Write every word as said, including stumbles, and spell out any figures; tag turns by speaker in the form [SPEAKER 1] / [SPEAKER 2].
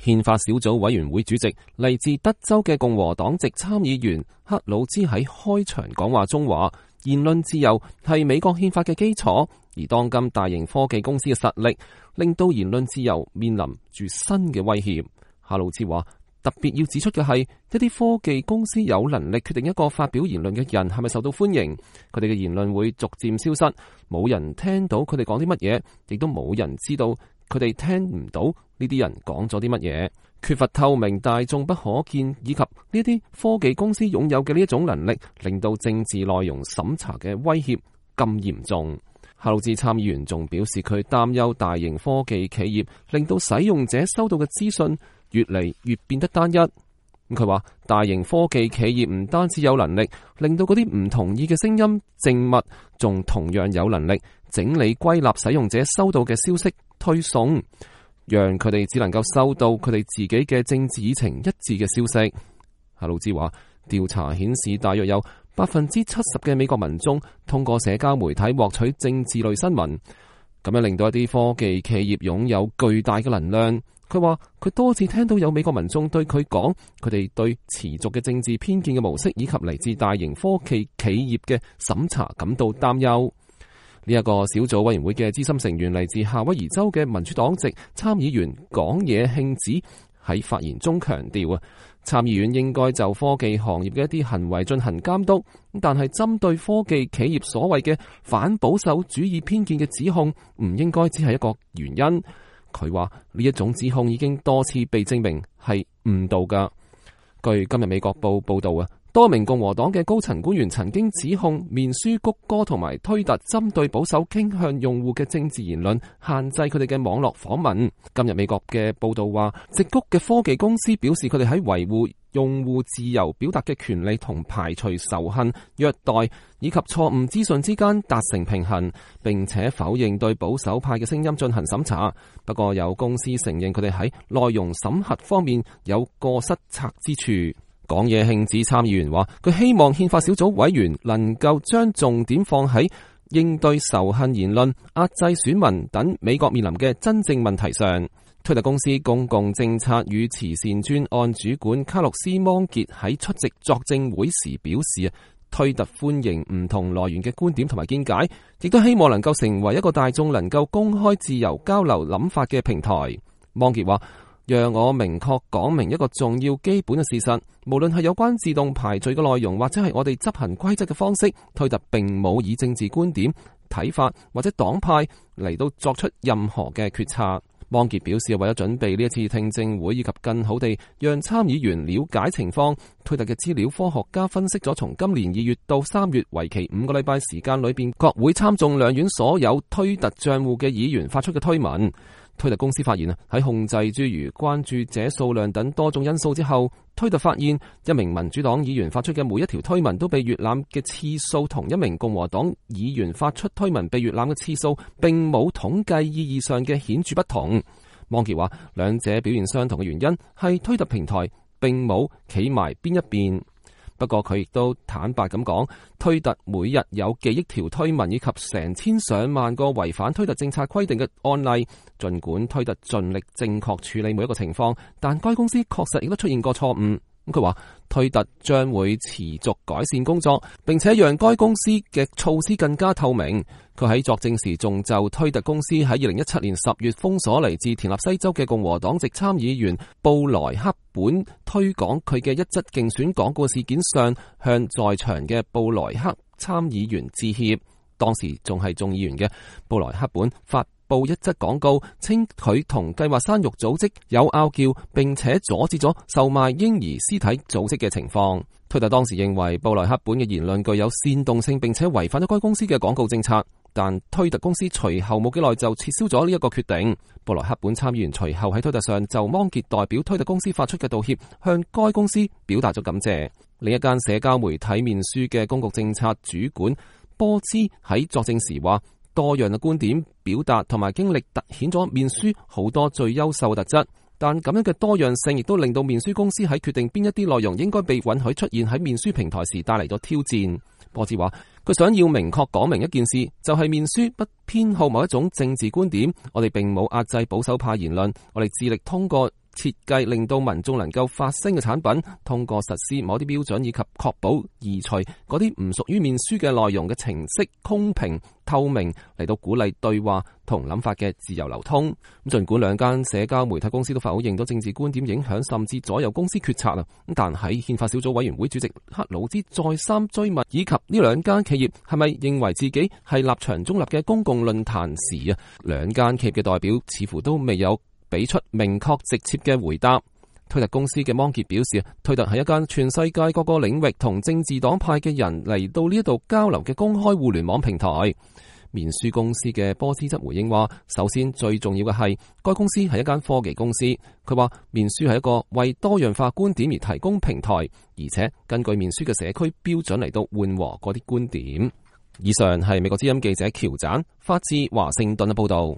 [SPEAKER 1] 憲法小組委員會主席嚟自德州嘅共和黨籍參議員克魯茲喺開場講話中話，言論自由係美國憲法嘅基礎，而當今大型科技公司嘅實力令到言論自由面臨住新嘅威脅。克魯茲話，特別要指出嘅係，一啲科技公司有能力決定一個發表言論嘅人係咪受到歡迎，佢哋嘅言論會逐漸消失，冇人聽到佢哋講啲乜嘢，亦都冇人知道佢哋聽唔到呢啲人講咗啲乜嘢。缺乏透明、大眾不可見，以及呢啲科技公司擁有嘅呢一種能力，令到政治內容審查嘅威脅咁嚴重。克魯茲參議員仲表示，佢擔憂大型科技企業令到使用者收到嘅資訊越嚟越變得單一。佢話，大型科技企業唔單止有能力令到嗰啲唔同意嘅聲音靜默，仲同樣有能力整理歸納使用者收到嘅消息推送，讓佢哋只能夠收到佢哋自己嘅政治議程一致嘅消息。克魯茲話，調查顯示大約有百分之七十嘅美國民眾通過社交媒體獲取政治類新聞，咁樣令到一啲科技企業擁有巨大嘅能量。佢話佢多次聽到有美國民眾對佢講，佢哋對持續嘅政治偏見嘅模式以及嚟自大型科技企業嘅審查感到擔憂。呢一個小組委員會嘅資深成員嚟自夏威夷州嘅民主黨籍參議員講野慶子喺發言中強調啊，參議院應該就科技行業嘅一啲行為進行監督，但係針對科技企業所謂嘅反保守主義偏見嘅指控，唔應該只係一個原因。佢話呢一種指控已經多次被證明係誤導噶。據今日美國報報道啊，多名共和黨嘅高層官員曾經指控面書、谷歌同埋推特針對保守傾向用戶嘅政治言論，限制佢哋嘅網絡訪問。今日美國嘅報道話，矽谷嘅科技公司表示佢哋喺維護用戶自由表達嘅權利同排除仇恨、虐待以及錯誤資訊之間達成平衡，並且否認對保守派嘅聲音進行審查。不過有公司承認佢哋喺內容審核方面有過失策之處。講野慶子參議員話，佢希望憲法小組委員能夠將重點放喺應對仇恨言論、壓制選民等美國面臨嘅真正問題上。推特公司公共政策與慈善專案主管卡洛斯芒傑喺出席作證會時表示，推特歡迎唔同來源嘅觀點同埋見解，亦都希望能夠成為一個大眾能夠公開自由交流諗法嘅平台。芒傑話，讓我明確講明一個重要基本嘅事實，無論係有關自動排序嘅內容，或者係我哋執行規則嘅方式，推特並冇以政治觀點、睇法或者黨派嚟到作出任何嘅決策。芒傑表示，為咗準備呢一次聽證會以及更好地讓參議員了解情況，推特嘅資料科學家分析咗從今年二月到三月為期五個禮拜時間裏邊，國會參眾兩院所有推特賬戶嘅議員發出嘅推文。推特公司發現啊，喺控制諸如關注者數量等多種因素之後，推特發現一名民主黨議員發出嘅每一條推文都被閱覽嘅次數，同一名共和黨議員發出推文被閱覽嘅次數並冇統計意義上嘅顯著不同。芒傑話，兩者表現相同嘅原因係推特平台並冇企埋邊一邊。不過佢亦都坦白咁講，推特每日有幾億條推文以及成千上萬個違反推特政策規定嘅案例。儘管推特盡力正確處理每一個情況，但該公司確實亦都出現過錯誤。咁佢話，推特將會持續改善工作，並且讓該公司嘅措施更加透明。佢喺作證時仲就推特公司喺二零一七年十月封鎖嚟自田納西州嘅共和黨籍參議員布萊克本推廣佢嘅一則競選廣告事件上，向在場嘅布萊克參議員致歉。當時仲係眾議員嘅布萊克本發報一則廣告，稱佢同計劃生育組織有拗撬，並且阻止咗售賣嬰兒屍體組織嘅情況。推特當時認為布萊克本嘅言論具有煽動性，並且違反咗該公司嘅廣告政策。但推特公司隨後冇幾耐就撤銷咗呢一個決定。布萊克本參議員隨後喺推特上就芒傑代表推特公司發出嘅道歉，向該公司表達咗感謝。另一間社交媒體面書嘅公共政策主管波茲喺作證時話，多樣嘅觀點表達同埋經歷凸顯咗面書好多最優秀嘅特質，但咁樣嘅多樣性亦都令到面書公司喺決定邊一啲內容應該被允許出現喺面書平台時帶嚟咗挑戰。波茲話，佢想要明確講明一件事，就係面書不偏好某一種政治觀點，我哋並冇壓制保守派言論，我哋致力通過設計令到民眾能夠發聲嘅產品，通過實施某啲標準以及確保移除嗰啲唔屬於面書嘅內容嘅程式公平透明，嚟到鼓勵對話同諗法嘅自由流通。咁盡管兩間社交媒體公司都否認咗政治觀點影響甚至左右公司決策啊，咁但喺憲法小組委員會主席克魯茲再三追問以及呢兩間企業係咪認為自己係立場中立嘅公共論壇時啊，兩間企業嘅代表似乎都未有俾出明確直接嘅回答。推特公司嘅芒傑表示，推特係一間全世界各個領域同政治黨派嘅人嚟到呢度交流嘅公開互聯網平台。面書公司嘅波斯則回應話，首先最重要嘅係該公司係一間科技公司。佢話面書係一個為多樣化觀點而提供平台，而且根據面書嘅社區標準嚟到緩和嗰啲觀點。以上係美國之音記者喬盞發自華盛頓嘅報道。